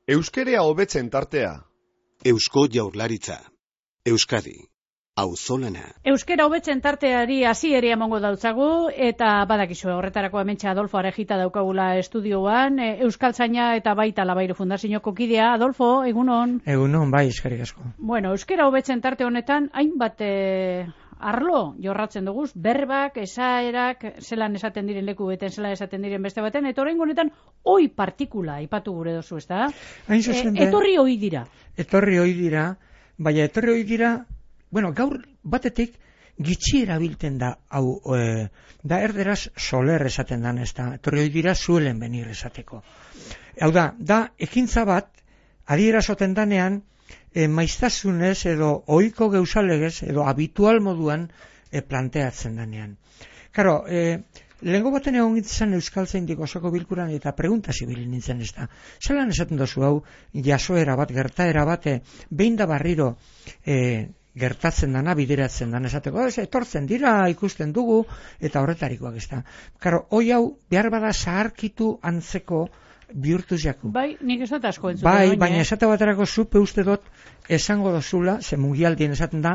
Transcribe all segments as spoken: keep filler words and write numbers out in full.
Euskerea hobetzen tartea. Eusko Jaurlaritza. Euskadi. Auzolana. Euskera hobetzen tarteari hasiera emango dautzagu eta badakizu horretarako hementxe Adolfo Arejita daukagula estudioan, Euskaltzaina eta baita Labairu Fundazioko kidea. Adolfo, egunon. Egunon, bai, eskerrik asko. Bueno, euskera hobetzen tarte honetan hainbat eh, arlo jorratzen dugu, berbak, esaerak, zelan esaten diren leku beten, zelan esaten diren beste baten, eta oraingo honetan oi partikula aipatu gure dozu, ezta? Hain zuzen E, etorri oi dira. Etorri oi dira, baina etorri oi dira, bueno, gaur batetik gitxi erabilten da, hau, e, da erderaz soler esaten dan, ez da, etorri oi dira suelen benir esateko. Hau da, da ekintza bat, adierazoten danean, e, maiztasunez edo ohiko geusalegez edo habitual moduan e, planteatzen danean. Karo, e, lehengo baten egon gintzen Euskaltzaindik osoko bilkuran eta pregunta zibilin nintzen ez da. Zelan esaten dozu hau, jasoera bat, gertaera bat, e, behin da barriro e, gertatzen dana, bideratzen dana esateko, ez, etortzen dira, ikusten dugu, eta horretarikoak ez da. Karo, hoi hau, behar bada zaharkitu antzeko bihurtuz jaku. Bai, nik ez dut asko entzuten. Bai, oin, baina eh? esate baterako zupe uste dut esango dozula, ze mugialdien esaten da,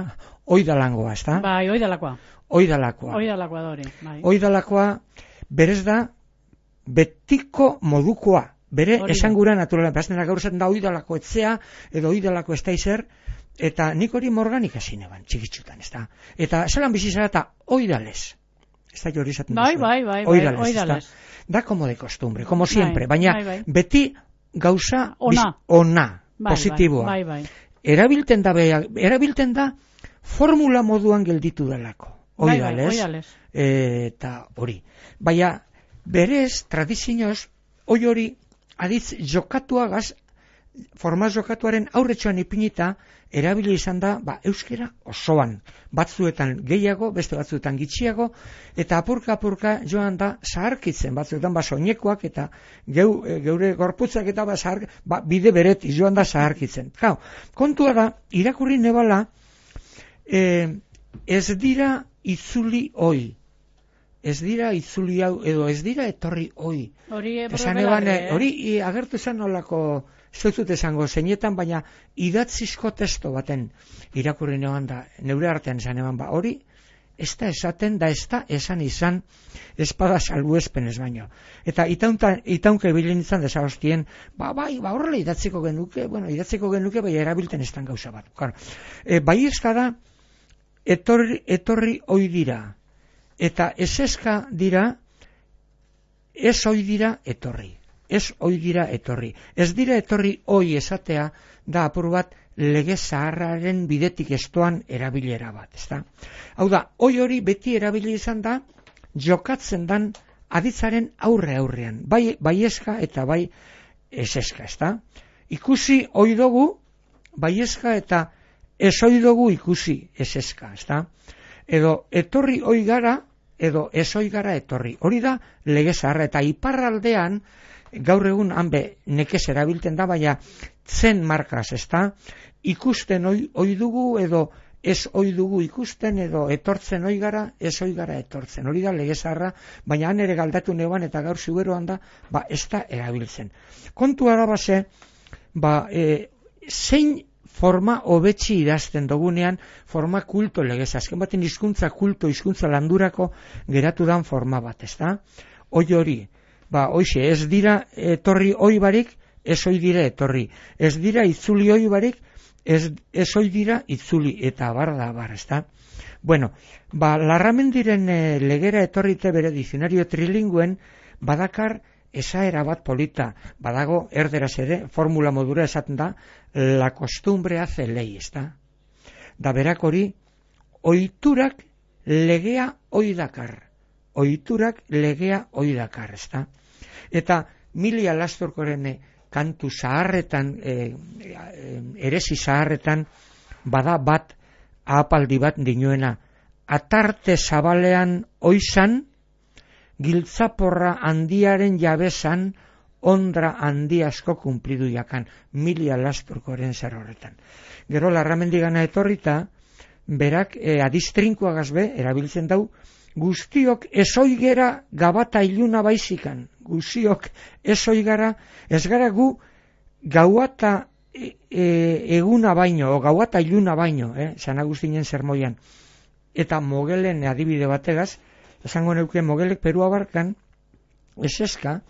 oidalangoa, ez da? Bai, oidalakoa. Oidalakoa. Oidalakoa dori, bai. Oidalakoa, berez da, betiko modukoa. Bere Hori da. esangura naturala. Baztena gaur esaten da oidalako etzea, edo oidalako ez da izer, eta nik hori morganik hasi neban, txikitsutan, ez da? Eta zelan bizi zara eta oidales. Ez da hori esaten Bai, duzu. bai, bai, bai, Oidales, ez oidales. da? Da como de costumbre, como siempre, Bai, baina bai, bai. beti gauza Ona. biz- ona, Bai, positiboa. Bai, bai, bai. Erabilten da, bea- erabilten da formula moduan gelditu delako. Bai, bai, Oidales, oidales. eta hori. Baina, berez, tradizioz, hoi hori, aditz jokatuagaz, formaz jokatuaren aurretxoan ipinita, erabili izan da, ba, euskera osoan. Batzuetan gehiago, beste batzuetan gitxiago, eta apurka-apurka joan da zaharkitzen, batzuetan ba soinekoak eta geu, e, geure gorputzak eta ba, zahar, ba, bide bereti joan da zaharkitzen. Kau, kontua da, irakurri nebala, e, ez dira itzuli oi. Ez dira itzuli hau, edo ez dira etorri oi. Hori Esan belarri, eban, eh? hori i, agertu zen nolako, ez dut esango zeinetan, baina idatzizko testo baten irakurri neban da, neure artean esan eban, ba, hori ez da esaten, da ez da esan izan espada salbuespen ez baino. Eta itaunta, itaunke bilin izan desagostien, ba, bai, ba, horrela idatziko genuke, bueno, idatziko genuke, bai, erabilten ez dan gauza bat. Claro. E, bai ezka da, etorri, etorri oi dira, eta eseska dira, ez oi dira etorri. Ez oi dira etorri. Ez dira etorri oi esatea da apur bat lege zaharraren bidetik estoan erabilera bat, ezta? Hau da, oi hori beti erabili izan da jokatzen dan aditzaren aurre aurrean, bai bai eska eta bai eseska, ezta? Ikusi oi dugu bai eska eta ez oi dugu ikusi eseska, ezta? Edo etorri oi gara edo ez oi gara etorri. Hori da lege zaharra eta iparraldean gaur egun hanbe nekez erabilten da, baina zen markaz, ezta? Ikusten oi, oi dugu edo ez oi dugu ikusten edo etortzen oi gara, ez oi gara etortzen. Hori da lege zaharra, baina han ere galdatu neuan eta gaur zuberoan da, ba ez da erabiltzen. Kontua da base, ba, e, zein forma hobetsi idazten dugunean, forma kulto legez. Azken baten hizkuntza kulto, hizkuntza landurako geratu dan forma bat, ezta? Oi hori. Ba, hoixe, ez dira etorri oi barik, ez oi dira etorri. Ez dira itzuli oi barik, ez, ez oi dira itzuli, eta bar da bar, ezta? Bueno, ba, Larramendiren e, legera etorrite bere dizionario trilingüen, badakar esaera bat polita, badago erderaz ere, formula modura esaten da, la costumbre hace ley, ezta? Da berak hori, oiturak legea oi dakar. Oiturak legea oi dakar, ezta? Eta Milia Lastorkoren kantu zaharretan, e, e, eresi zaharretan, bada bat, ahapaldi bat dinuena, atarte zabalean oizan, giltzaporra handiaren jabesan, ondra handi asko kumplidu jakan, Milia Lastorkoren zer horretan. Gero Larramendigana etorrita, berak e, adistrinkoagaz be, erabiltzen dau, guztiok ezoigera gabata iluna baizikan, guztiok ezoigara, ez gara gu gauata e, e, eguna baino, o gauata iluna baino, eh, San Agustinen sermoian, eta mogelen adibide bategaz, esango neuke mogelek Perua barkan, eseska,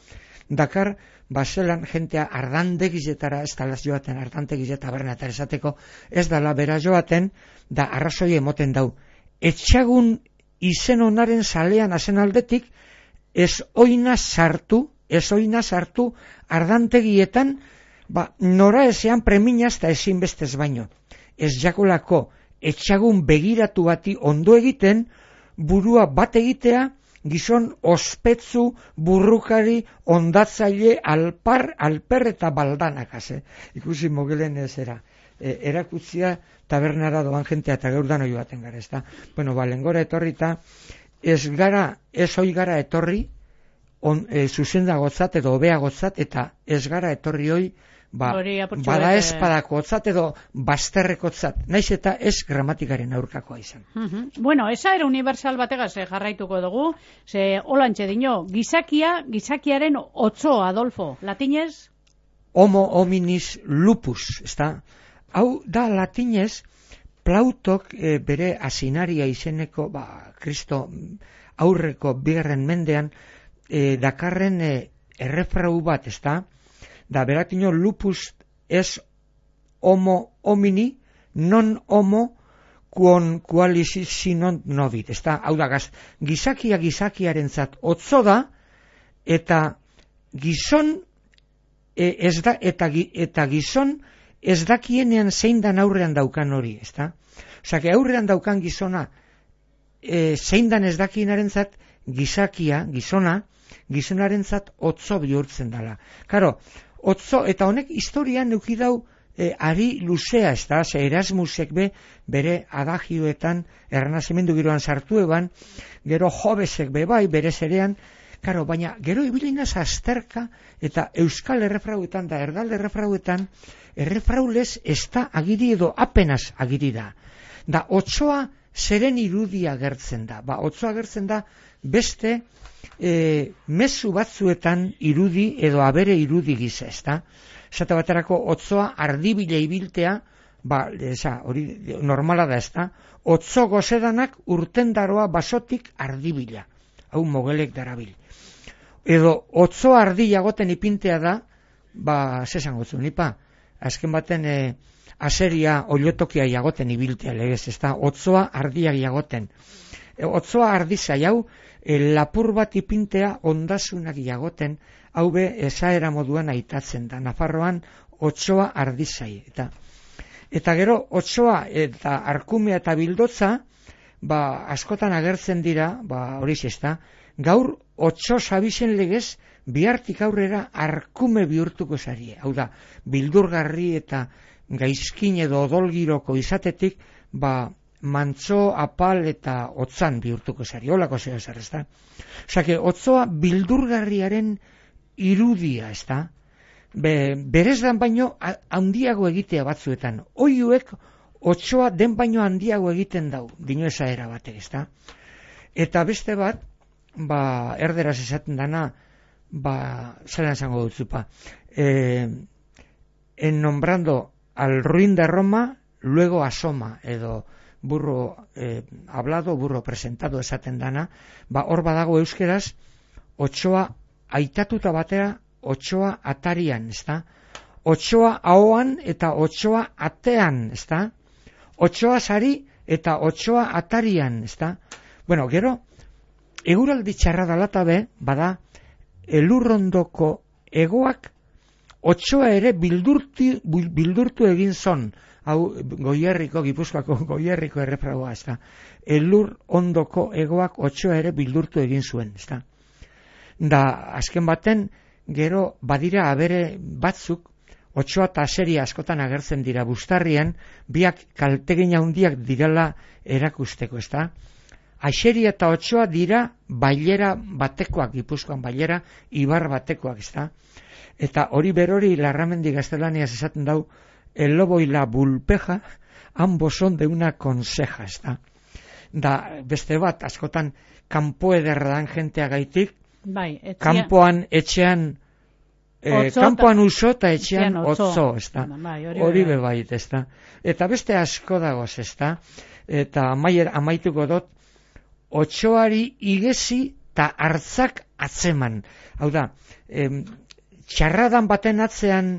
dakar, baselan jentea ardandegizetara, ez dala joaten, ardantegizeta berna eta esateko, ez dala bera joaten, da arrazoi emoten dau. Etxagun izen onaren salean azen aldetik, ez oina sartu, ez oina sartu ardantegietan, ba, nora ezean preminaz eta ezin bestez baino. Ez jakolako etxagun begiratu bati ondo egiten, burua bat egitea, gizon ospetsu, burrukari, ondatzaile, alpar, alper eta baldanak, eh? Ikusi mogelen ez era. E, erakutzia tabernara doan jentea eta gaur dano joaten gara, ez da? Bueno, ba, lengora etorrita, ez gara, ez hoi gara etorri, on, e, zuzendagotzat edo obeagotzat, eta ez gara etorri hoi, ba, bada espadakotzat edo bazterrekotzat, naiz eta ez gramatikaren aurkakoa izan. Uh-huh. Bueno, esa era universal bategaz eh, jarraituko dugu, ze holantxe dino, gizakia, gizakiaren otzo, Adolfo, latinez? Homo hominis lupus, ez da? Hau da latinez, Plautok e, bere asinaria izeneko, ba, Kristo aurreko bigarren mendean, e, dakarren e, errefrau bat, ez da? Da beratino lupus es homo homini non homo quon qualis sinon novit. Está, hau da gaz, gizakia gizakiarentzat otzo da eta gizon e, ez da eta eta gizon ez dakienean zein dan aurrean daukan hori, ezta? Osea, que aurrean daukan gizona e, zein dan ez dakiinarentzat gizakia, gizona, gizonarentzat otzo bihurtzen dela. Karo, otzo, eta honek historian neuki dau e, ari luzea, ez da, ze Erasmusek be, bere adagioetan, ernazimendu giroan sartu eban, gero Jobesek be bai, bere zerean, karo, baina gero ibilinaz azterka, eta euskal errefrauetan da, erdal errefrauetan, errefraulez ez da agiri edo apenas agiri da. Da, otzoa zeren irudia gertzen da. Ba, otzoa gertzen da beste e, mezu batzuetan irudi edo abere irudi giza, ez da? Zata baterako otzoa ardibile ibiltea, ba, eza, hori normala da, ez da? Otzo gozedanak urtendaroa basotik ardibila. Hau mogelek darabil. Edo otzo ardia goten ipintea da, ba, zesan gotzu, nipa, azken baten e, aseria oliotokia jagoten ibiltea legez, ez da? Otzoa ardia jagoten. E, otzoa ardizai hau, e, lapur bat ipintea ondasunak jagoten, hau be esaera moduan aitatzen da. Nafarroan otzoa ardizai. Eta, eta gero otzoa eta arkumea eta bildotza, ba, askotan agertzen dira, ba, hori ez da, gaur otzo sabizen legez, bihartik aurrera arkume bihurtuko zarie. Hau da, bildurgarri eta gaizkin edo odolgiroko izatetik, ba, mantzo, apal eta otzan bihurtuko zarie. Holako zeo zer, ez da? Osake, otzoa bildurgarriaren irudia, ez da? Be, berez dan baino handiago egitea batzuetan. Oiuek otzoa den baino handiago egiten dau, dino esaera batek, ez da? Eta beste bat, ba, erderaz esaten dana, ba, zelan zango dutzupa, eh, en nombrando al ruin de Roma, luego asoma, edo burro eh, hablado, burro presentado esaten dana, ba, hor badago euskeraz, otsoa aitatuta batera, otsoa atarian, ez da? Otsoa ahoan eta otsoa atean, ez da? Otsoa sari eta otsoa atarian, ez da? Bueno, gero, eguraldi txarra dalata be, bada, elurrondoko egoak otsoa ere bildurti, bildurtu egin zon, hau Goierriko, Gipuzkoako Goierriko errefragoa, ez da? Elur ondoko egoak otsoa ere bildurtu egin zuen, ez da? Da, azken baten, gero badira abere batzuk, otsoa eta aseria askotan agertzen dira bustarrian, biak kaltegin handiak direla erakusteko, ez da? Aixeria eta otsoa dira bailera batekoak, Gipuzkoan bailera, ibar batekoak, ez da? Eta hori berori Larramendi gaztelaniaz esaten dau, el lobo y la bulpeja, ambos son de una conseja, ez da? Da, beste bat, askotan, kanpo ederra dan jentea gaitik, bai, etxia... kanpoan etxean E, Otzo kanpoan ta- uso eta etxean etxean otzo. otzo, ez da. Bai, hori Hori bai. bebait, ez da. Eta beste asko dagoz, ez da. Eta amaier, amaituko dut, otxoari igezi eta hartzak atzeman. Hau da, em, txarradan baten atzean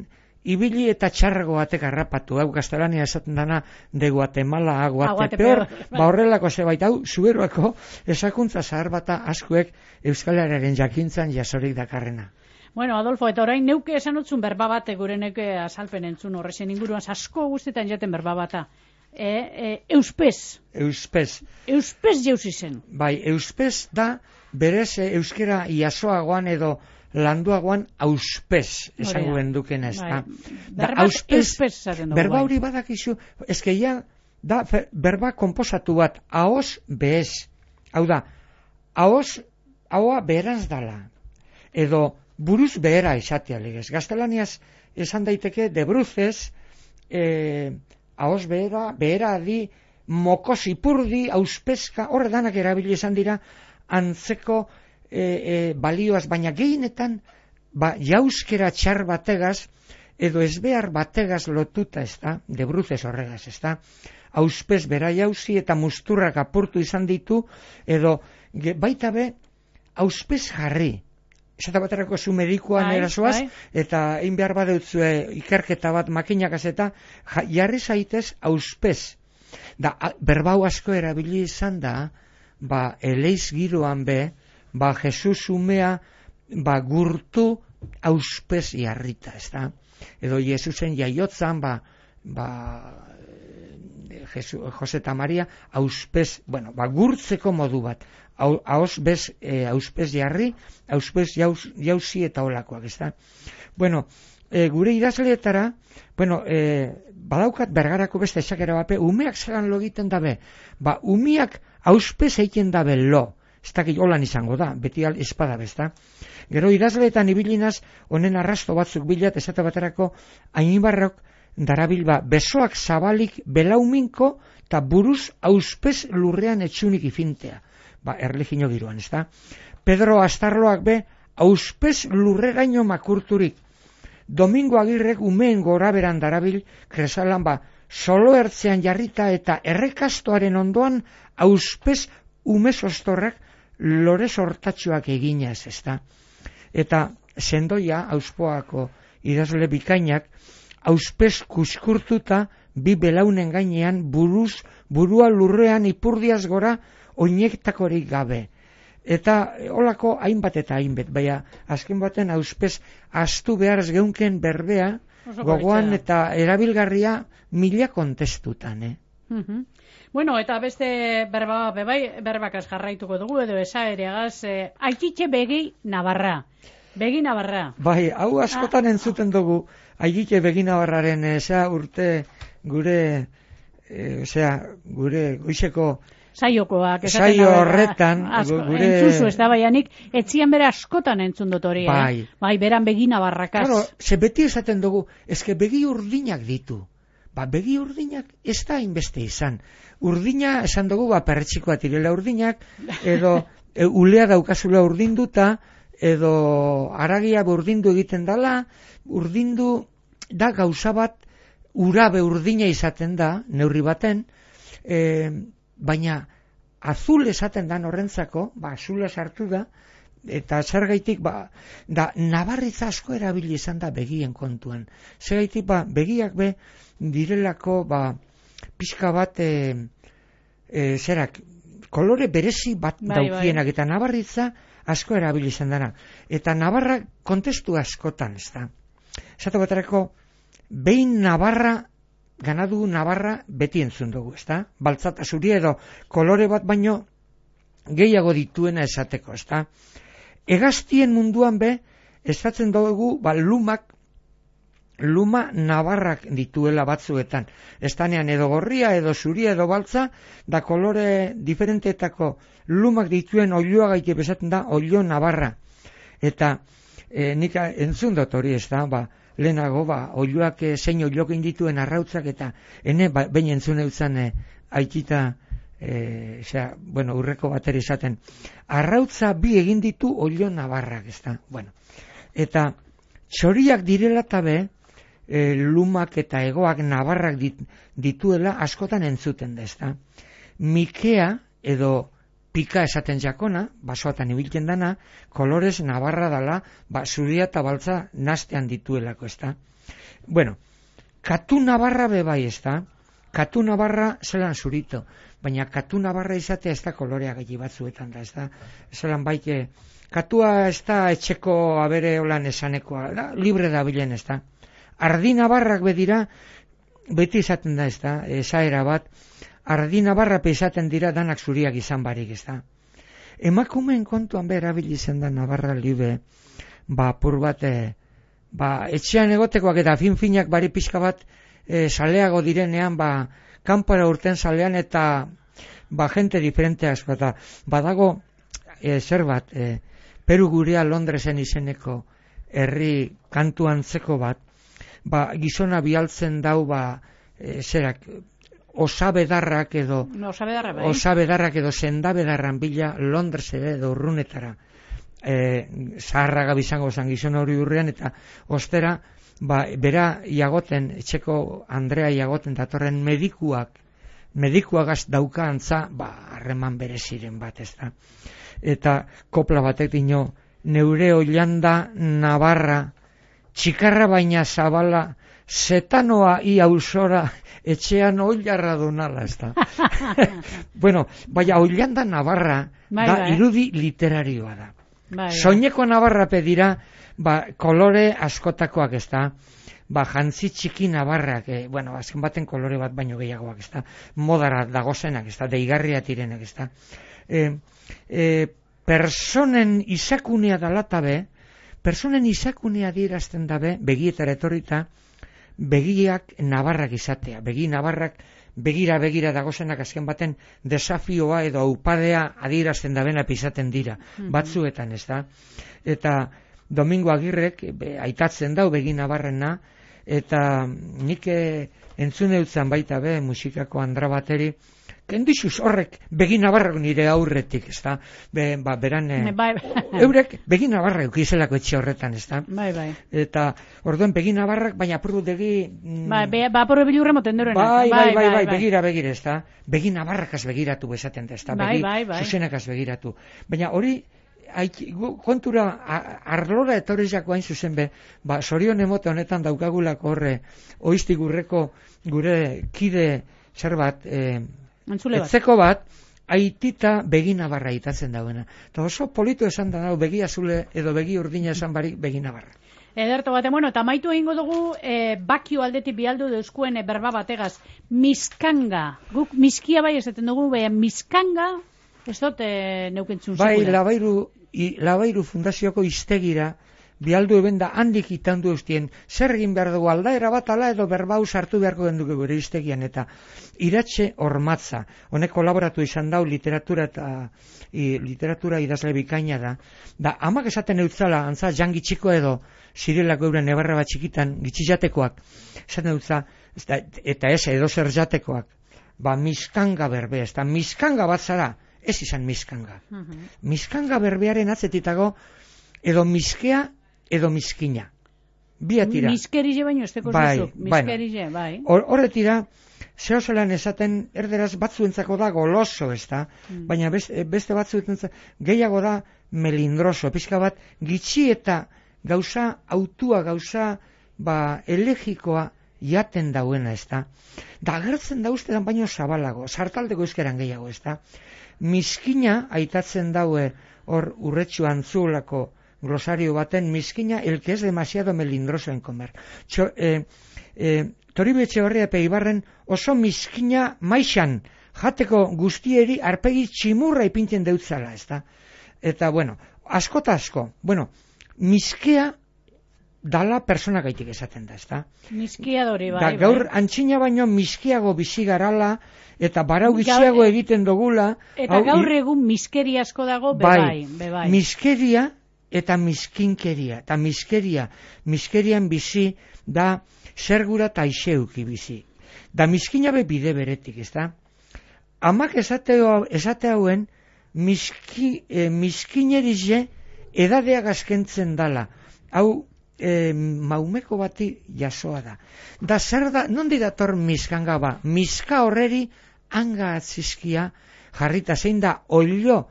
ibili eta txarrago batek harrapatu. Hau gaztelania esaten dana de Guatemala a Guatepeor, ba horrelako zebait. Hau, zuberoako esakuntza zahar bata askuek Euskalaren jakintzan jasorik dakarrena. Bueno, Adolfo, eta orain neuke esan utzun berba bate gure neuke azalpen entzun horrezen inguruan, asko guztetan jaten berba bata. E, e, euspez. Euspez. Euspez jauzi zen. Bai, euspez da berez e, euskera iasoagoan edo landuagoan auspez esango gendukena, ez da. Da, Berba auspez, euspez zaten dugu. berba bai. hori badakizu, eske ja, da fe- berba konposatu bat, ahoz bez. Hau da, ahoz, ahoa beheraz dala. Edo buruz behera izatea legez. Gaztelaniaz esan daiteke de bruzez, eh, ahoz behera, behera di, mokos ipurdi, auspezka, horre danak erabili izan dira, antzeko e, e, balioaz, baina gehienetan, ba, jauskera txar bategaz, edo ezbehar bategaz lotuta, ez da, de bruzez horregaz, ez da, auspez bera jauzi eta musturrak apurtu izan ditu, edo ge, baita be, auspez jarri. Esata baterako zu medikuan Bai, erasoaz, bai. eta egin behar badeutzue ikerketa bat makinakaz eta ja, jarri zaitez auspez. Da, a, berbau asko erabili izan da, ba, eleiz giroan be, ba, Jesus umea, ba, gurtu auspez jarrita, ez da? Edo Jesusen jaiotzan, ba, ba, Jesu, Jose eta Maria, auspez, bueno, ba, gurtzeko modu bat. Hauz bez, e, auspez jarri, auspez jauz, jauzi eta olakoak, ez da? Bueno, e, gure idazleetara, bueno, e, badaukat bergarako beste esakera bape, umeak zelan lo egiten dabe, ba, umiak auspez egiten dabe lo, ez dakit holan izango da, beti al espada bezta. Gero idazleetan ibilinaz, honen arrasto batzuk bilat, esate baterako, Ainibarrok darabil ba, besoak zabalik belauminko, eta buruz auspez lurrean etxunik ifintea. Ba, erlijino giroan, ez da? Pedro Astarloak be, auspez lurreraino makurturik. Domingo Agirrek umeen gora beran darabil, kresalan ba, solo ertzean jarrita eta errekastoaren ondoan auspez umezostorrak lore sortatxoak eginaz, ez da? Eta sendoia, auspoako idazle bikainak, auspez kuskurtuta bi belaunen gainean buruz, burua lurrean ipurdiaz gora oinektakorik gabe. Eta holako hainbat eta hainbat, baina azken baten auspez astu beharz geunken berbea, Oso gogoan politxea. eta erabilgarria mila kontestutan, eh? Mhm. Bueno, eta beste berba, bebai, berbakaz jarraituko dugu, edo esaereagaz, eh, aititxe begi Navarra. Begi Navarra. Bai, hau askotan entzuten dugu, aigite beginabarraren, eza urte gure, e, osea, gure goizeko Saiokoak. esaten saio da, horretan, asko, gure... entzuzu, ez da baianik, etzian bera askotan entzun dut hori, Bai. eh? Bai, beran begi Navarrakaz. Claro, ze beti esaten dugu, eske begi urdinak ditu. Ba, begi urdinak ez da inbeste izan. Urdina, esan dugu, ba, perretxikoa tirela urdinak, edo e, ulea daukazula urdinduta, edo aragia urdindu egiten dala, urdindu da gauza bat, urabe urdina izaten da, neurri baten, e, baina azul esaten da horrentzako, ba, azula sartu da, eta zergaitik, ba, da, nabarritza asko erabili izan da begien kontuan. Zergaitik, ba, begiak be, direlako, ba, pixka bat, e, e, zerak, kolore berezi bat Bai, daukienak, eta nabarritza asko erabili izan dana. Eta Navarra kontestu askotan, ez da. Esate baterako, behin Navarra, ganadu Navarra beti entzun dugu, ez da? Baltzata zuri edo kolore bat baino gehiago dituena esateko, ez da? Hegaztien munduan be, esatzen dugu, ba, lumak, luma Navarrak dituela batzuetan. Estanean edo gorria, edo zuria, edo baltza, da kolore diferenteetako lumak dituen oiloa gaite bezaten da, oilo Navarra. Eta e, nik entzun dut hori, ez da, ba, lehenago, ba, oiloak e, zein oilokin dituen arrautzak, eta ene, ba, behin entzun eutzen e, aitita, e, zera, bueno, urreko bateri esaten, arrautza bi egin ditu oilo Navarrak, ez da, bueno. Eta txoriak direla tabe, e, lumak eta egoak nabarrak dit, dituela askotan entzuten da, ezta. Mikea edo pika esaten jakona, basoatan ibiltzen dana, kolorez nabarra dala, ba, zuria eta baltza nastean dituelako, ezta. Bueno, katu nabarra bebai, ezta. Katu nabarra zelan zurito, baina katu nabarra izatea ez da kolorea gehi batzuetan da, ez da, zelan baike, katua ez da etxeko abere holan esanekoa, da, libre da bilen, ez da. Ardi nabarrak bedira, beti izaten da, ez da, esaera bat, ardi nabarra izaten dira danak zuriak izan barik, ez da. Emakumeen kontuan behar abilizen da nabarra libe, ba, pur bat, e, ba, etxean egotekoak eta fin-finak bari pixka bat, E, saleago direnean, ba, kanpora urten salean eta ba, jente diferente asko eta badago e, zer bat, e, Peru gurea Londresen izeneko herri kantu antzeko bat, ba, gizona bialtzen dau, ba, e, zerak, osabedarrak edo no, osabedarra, bai. osabedarrak edo sendabedarran bila Londres edo urrunetara e, zaharraga bizango zan gizona hori urrean eta ostera ba, bera iagoten, etxeko Andrea iagoten datorren medikuak, medikuagaz dauka antza, ba, harreman bereziren bat, ez da. Eta kopla batek dino, neure oilanda nabarra, txikarra baina zabala, zetanoa ia usora, etxean oilarra donala, ez da. Bueno, baina oilanda nabarra, bai, da bai. irudi literarioa da. Bai, bai. Soineko nabarra pedira, ba, kolore askotakoak, ez da, ba, jantzi txiki nabarrak, e, bueno, azken baten kolore bat baino gehiagoak, ez da, modara dagozenak, ez da, deigarria tirenak, ez da. E, e, personen izakunea dalatabe, personen izakunea dirazten dabe, begietara etorrita, begiak nabarrak izatea, begi nabarrak, begira begira dagozenak azken baten desafioa edo aupadea adierazten dabena pisaten dira, mm-hmm. batzuetan, ez da. Eta Domingo Agirrek be, aitatzen dau begi nabarrena, eta nik entzune utzan baita be, musikako andra bateri, kendizuz horrek begi nabarrak nire aurretik, ez da, be, ba, beran, bai, eurek begi nabarrak ukizelako etxe horretan, ez da. Bai, bai. Eta orduen begi nabarrak, baina apurutegi... Mm, bai, be, ba, porre bilurre moten durenak. Bai, bai, bai, bai, bai, begira, begira, ez da. Begi nabarrakaz begiratu bezaten da, ez da, bai, begi bai, bai. zuzenakaz begiratu. Baina hori, Aik, kontura arlora etorrizako hain zuzen be, ba, sorion emote honetan daukagulako horre, oizti gurreko gure kide zer bat, e, etzeko bat, aitita begina barra itatzen dauena. Eta oso polito esan da, begi azule edo begi urdina esan barik begina barra. Ederto bate, bueno, eta maitu egingo dugu e, bakio aldetik bialdu deuskuen e, berba bategaz, miskanga, guk miskia bai esaten dugu, baina miskanga, ez dut e, neukentzun bai, sekula. Labairu, i, Labairu fundazioko iztegira, bialdu eben da handik itandu eustien, zer egin behar dugu aldaera bat ala edo berbau sartu beharko genduke gure iztegian, eta Iratxe Ormatza, honek kolaboratu izan dau literatura eta i, literatura idazle bikaina da, da amak esaten eutzala, antza jangi txiko edo zirelako euren ebarra bat txikitan, gitxijatekoak, esaten eutza, eta ez edo zer jatekoak, ba miskanga berbe, ez da miskanga bat zara, ez izan miskanga. Uh-huh. Miskanga berbearen atzetitago edo miskea edo miskina. Biatira. Miskerize baino esteko bai, zuzuk. Miskerize, bai. Horretira, zeo zelan esaten erderaz batzuentzako da goloso, ez da, mm. baina beste, beste batzuentzako gehiago da melindroso, pizka bat gitxi eta gauza autua, gauza ba, elegikoa jaten dauena, ez da. Da agertzen da ustean baino zabalago, sartaldeko euskeran gehiago, ez da. Miskina aitatzen daue hor urretxu antzulako glosario baten, miskina el que es demasiado melindroso en comer. Txo, eh, eh, Toribio Etxebarria Peibarren oso miskina maixan jateko guztieri arpegi tximurra ipintzen deutzala, ez da. Eta, bueno, asko eta asko. Bueno, miskea dala persona gaitik esaten da, ez da. Miskia dori, bai. Da, gaur bai. Antxina baino miskiago bizi garala, eta barau gitxiago gaur, egiten dugula. Eta hau, gaur egun miskeri asko dago, bebai, bai, bebai. Miskeria eta miskinkeria. Eta miskeria, miskerian bizi da zergura eta aixeuki bizi. Da miskina be bide beretik, ez da. Amak esate, esate hauen miski, eh, miskinerize edadeak askentzen dala. Hau, e, maumeko bati jasoa da. Da zer da, nondi dator miskanga ba? Miska horreri hanga atzizkia jarrita zein da oilo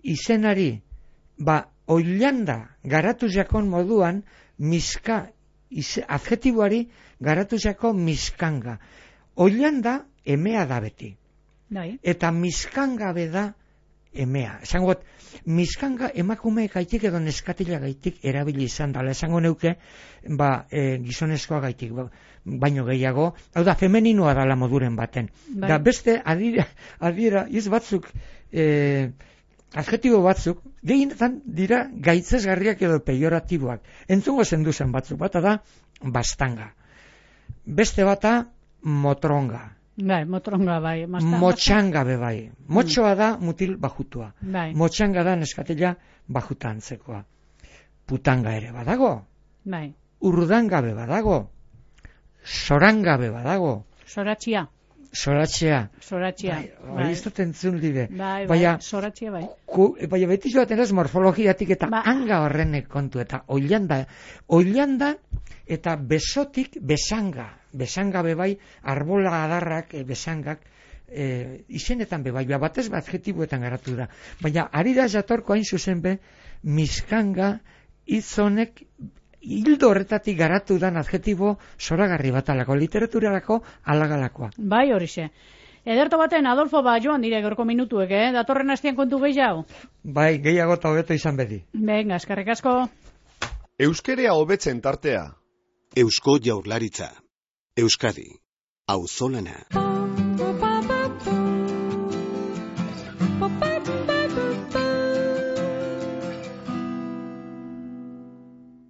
izenari, ba, oilanda garatu jakon moduan miska ize, adjetiboari garatu jako miskanga. Oilanda emea da beti. Dai. Eta miskangabe da emea. Esango got, miskanga emakume gaitik edo neskatila gaitik erabili izan dela. Esango neuke, ba, e, gizonezkoa gaitik, ba, baino gehiago, hau da, femeninoa dala moduren baten. Bai. Da beste adira, adira iz batzuk, e, adjetibo batzuk, gehienetan dira gaitzesgarriak edo pejoratiboak. Entzungo zenduzen batzuk, bata da, bastanga. Beste bata, motronga. Bai, motronga bai. Masta, Motxanga be bai. Motxoa da mutil bajutua. Bai. Motxanga da neskatila bajuta antzekoa. Putanga ere badago. Bai. Urdanga be badago. Soranga be badago. Soratxia. Soratxea. Soratxia. Bai, bai. Ez dut entzun libe. Bai, bai, Baina, soratxia bai. ku, baina beti joaten ez morfologiatik eta Ba. hanga horrenek kontu eta oilanda. Oilanda eta besotik besanga. Besanga bebai, arbola adarrak, e, besangak, e, izenetan bebai, ba, batez bat adjetiboetan garatu da. Baina ari da jatorko hain zuzen be, miskanga hitzonek hildo horretatik garatu dan adjetibo zoragarri batalako, literaturarako alagalakoa. Bai, horixe. Ederto baten, Adolfo, ba, joan dire gorko minutuek, eh? Datorren hastian kontu gehiago? Bai, gehiago eta hobeto izan bedi. Venga, eskerrik asko. Euskerea hobetzen tartea. Eusko Jaurlaritza. Euskadi. Auzolana.